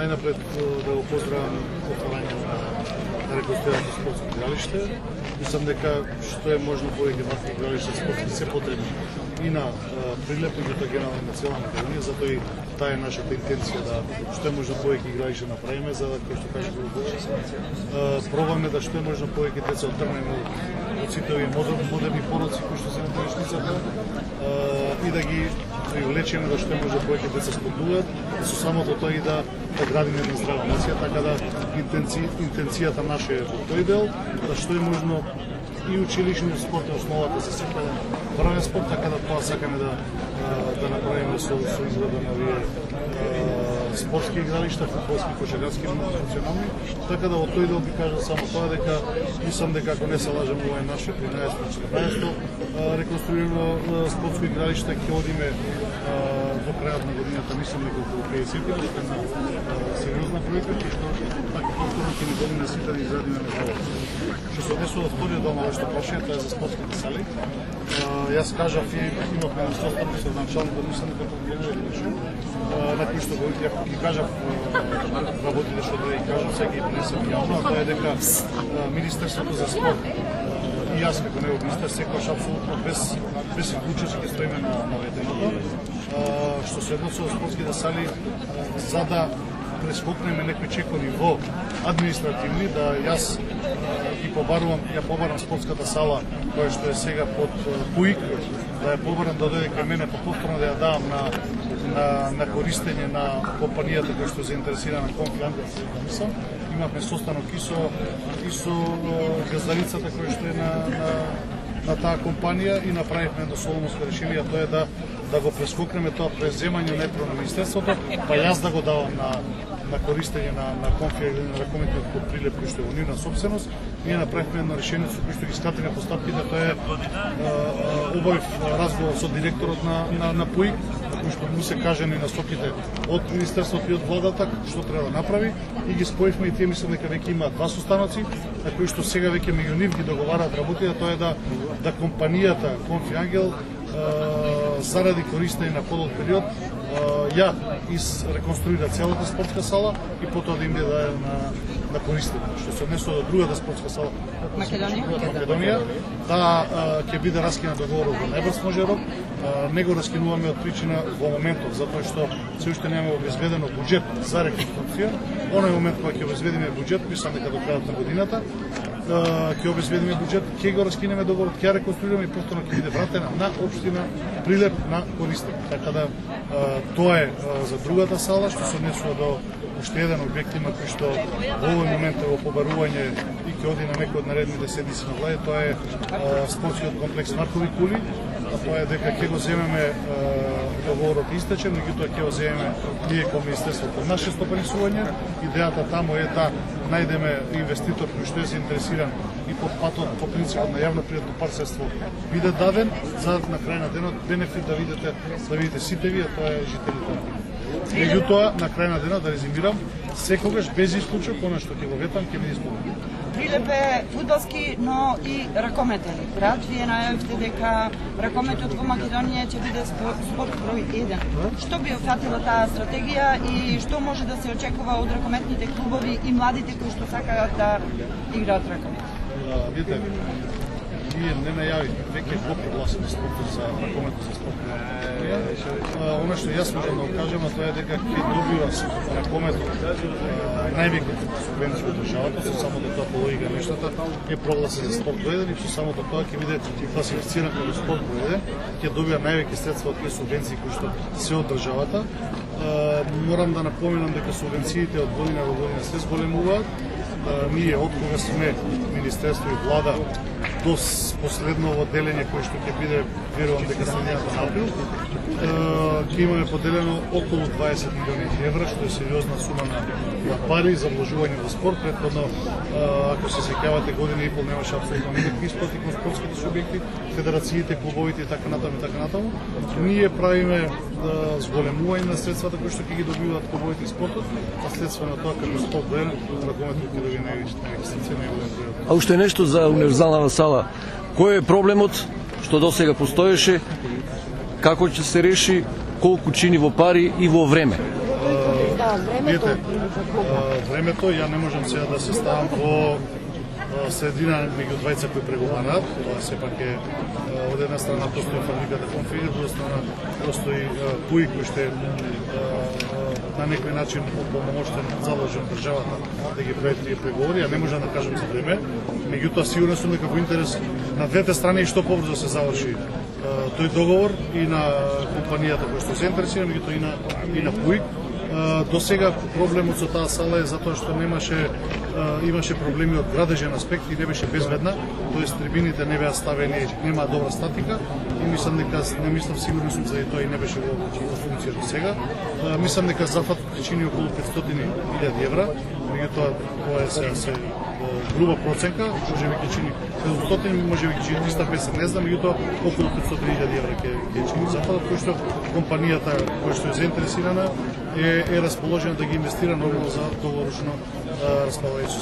најнапред да го поздравам отворањето на реконструираното спортско игралиште. Мислам дека што е можно повеќе вакви игралишта спортски се потребни и на Прилеп, меѓутоа генерално на цела Македонија, затоа и таа е нашата интенција да што е можно повеќе игралишта направиме, за да, кој што каже Горубович, пробаме да што е можно повеќе деца отрнеме од сите овие модерни пороци кои што се на тршницата и да ги привлечеме да што е може повеќе деца спортуваат, со самото тоа и да градиме една здрава нација, така да интенцијата наша е во тој дел, да што е можно и училишни спорт е основата за секој врвен спорт, така да тоа сакаме да направиме со изгледа на овие спортски игралишта, фудбалски, кошаркарски, функционални, така да од тој дел би кажал само тоа дека мислам дека ако не се лажам, ова е наше 13-14 реконструирано спортско игралиште, ќе одиме до крајот на годината, мислам дека околу 50 што е една сериозна пројекта, што така повторно ќе ни годиме сите да изградиме меѓу. Што се однесува до вториот дел на вашето прашање, тоа е за спортските сали. Јас кажав и имавме настојано со началник да мислам дека на кој што ги кажав работите што да ги кажам, сега ги пренесам јавно, а тоа е дека Министерството за спорт и јас како негов министер секогаш апсолутно без вклучување ќе стоиме на ветеното. Што се однесува до спортските сали, за да прескокнеме некои чекови во административни, да јас ја побарам спортската сала која што е сега под ПУИК, да ја побарам да дојде кај мене, повторно да ја давам на користење на компанијата која што е заинтересирана Конфи Ангел. Имавме состанок и со газдарицата која што е на таа компанија и направивме едно соломонско решение, тоа е да го прескокнеме тоа преземање најпрво на Министерството, па јас да го давам на користење на Конфи или на ракометот под Прилеп кој што е во нивна собственост. Ние направивме едно решение со кој што ги скратиме постапките, тоа е обавив разговор со директорот на ПУИК, кој што му се кажани насоките од Министерството и од владата што треба да направи и ги споивме и тие мислам дека веќе имаат два состаноци, на кои што сега веќе меѓу нив ги договараат работите, тоа е да компанијата Конфи Ангел заради користење на подолг период ја реконструира целата спортска сала и потоа да им биде дадена на користење. Што се однесува до другата спортска сала од Македонија, ќе биде раскинат договорот во најбрз може рок. Не го раскинуваме од причина во моментот, затоа што се уште немаме обезбедено буџет за реконструкција. Оној момент кога ќе обезбедиме буџет, мислам дека до крајот на годината, ќе обезбедиме буџет, ќе го раскинеме договорот, ќе реконструираме и повторно ќе биде вратена на општина Прилеп на користење. Така да тоа е за другата сала, што се однесува до уште еден објект има кој што во овој момент е во побарување и ќе оди на некој од наредните седмици на владе, тоа е спортскиот комплекс Маркови кули. Тоа е дека ќе го земеме договорот истече, меѓутоа ќе го земеме ние кон Министерството. Наше стопанисување, идејата таму е да најдеме инвеститор кој што е заинтересиран и под патот, по принципот на јавно-приватно партнерство биде даден, за на крај на денот бенефит да видите сите вие, тоа е жителите. Меѓутоа, на крај на денот, да резимирам, секогаш без исклучок, она што ќе го ветам, ќе биде исполнено. Прилеп е фудбалски, но и ракометен град. Вие најавивте дека ракометот во Македонија ќе биде спорт број 1. Што би офатила таа стратегија и што може да се очекува од ракометните клубови и младите кои што сакаат да играат ракомет? Видите, ние не најавивме, веќе го прогласиме спортот за ракометот за спорт. Она што јас можам да го кажам, тоа е дека ќе добива ракометот највеќе субвенција од државата, со самото тоа по логика нештата е прогласен за спорт број 1 и со самото тоа ќе биде класифициран како спорт број 1, ќе добива највеќе средства од тие субвенции кои што се од државата. Морам да напоменам дека субвенциите од година во година се зголемуваат. Ние од кога сме Министерство и влада до последново делење кој што ќе биде, верувам дека средината на април, ќе имаме поделено околу 20 милиони евра, што е сериозна сума на пари за вложување во спорт. Претходно, ако се сеќавате, година и пол немаше апсолутно никакви исплати кон спортските субјекти, федерациите, клубовите и така натаму. Ние правиме зголемување на средствата кои што ќе ги добиваат клубовите и спортот, а следство на тоа како спорт број 1, ракометот ќе добие највеќе средства. А уште нешто за универзалната сала. Кој е проблемот што досега постоеше, како ќе се реши, колку чини во пари и во време? времето. Времето, ја не можам сега да се ставам во средина меѓу двајца кои преговараат. Тоа сепак е од една страна постои фабриката Конфиг, од друга страна постои ПУИ кој што на некој начин помоштен задолжен државата да ги прави тие преговори, а не можам да кажам за време. Меѓутоа сигурен сум дека во интерес на двете страни што побрзо се заврши тој договор и на компанијата која што се интересира, меѓутоа и на ПУИ. До сега проблемот со таа сала е затоа што имаше проблеми од градежен аспект и не беше безбедна, тоест трибините не беа ставени, нема добра статика и мислам сигурно сум заради тоа и не беше во функција до сега. Мислам дека зафатот ќе чини околу 500.000 евра, меѓутоа тоа е се груба проценка, можеби ќе чини 500, можеби ќе чини 350, не знам, меѓутоа околу 500.000 евра ќе чини зафатот, кој што компанијата која што е заинтересирана е расположена да ги инвестира нормално за долгорочно располагање со